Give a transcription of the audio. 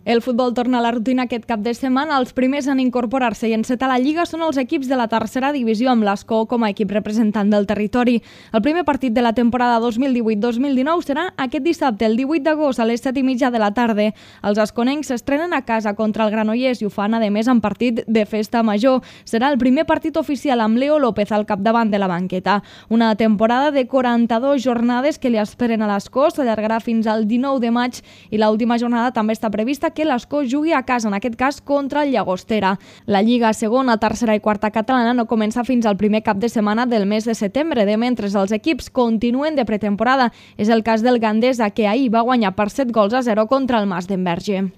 El futbol torna a la rutina aquest cap de setmana. Els primers en incorporar-se i encetar la Lliga són els equips de la tercera divisió, amb l'Escó com a equip representant del territori. El primer partit de la temporada 2018-2019 serà aquest dissabte, el 18 d'agost, a les 7:30 de la tarda. Els esconencs s'estrenen a casa contra el Granollers i ho fan, a més, en partit de festa major. Serà el primer partit oficial amb Leo López al capdavant de la banqueta. Una temporada de 42 jornades que li esperen a l'Escó, s'allargarà fins al 19 de maig i l'última jornada també està prevista que l'Escó jugui a casa, en aquest cas contra el Llagostera. La Lliga segona, tercera i quarta catalana no comença fins al primer cap de setmana del mes de setembre, de mentre els equips continuen de pretemporada. És el cas del Gandesa, que ahir va guanyar per 7-0 contra el Mas d'Enverge.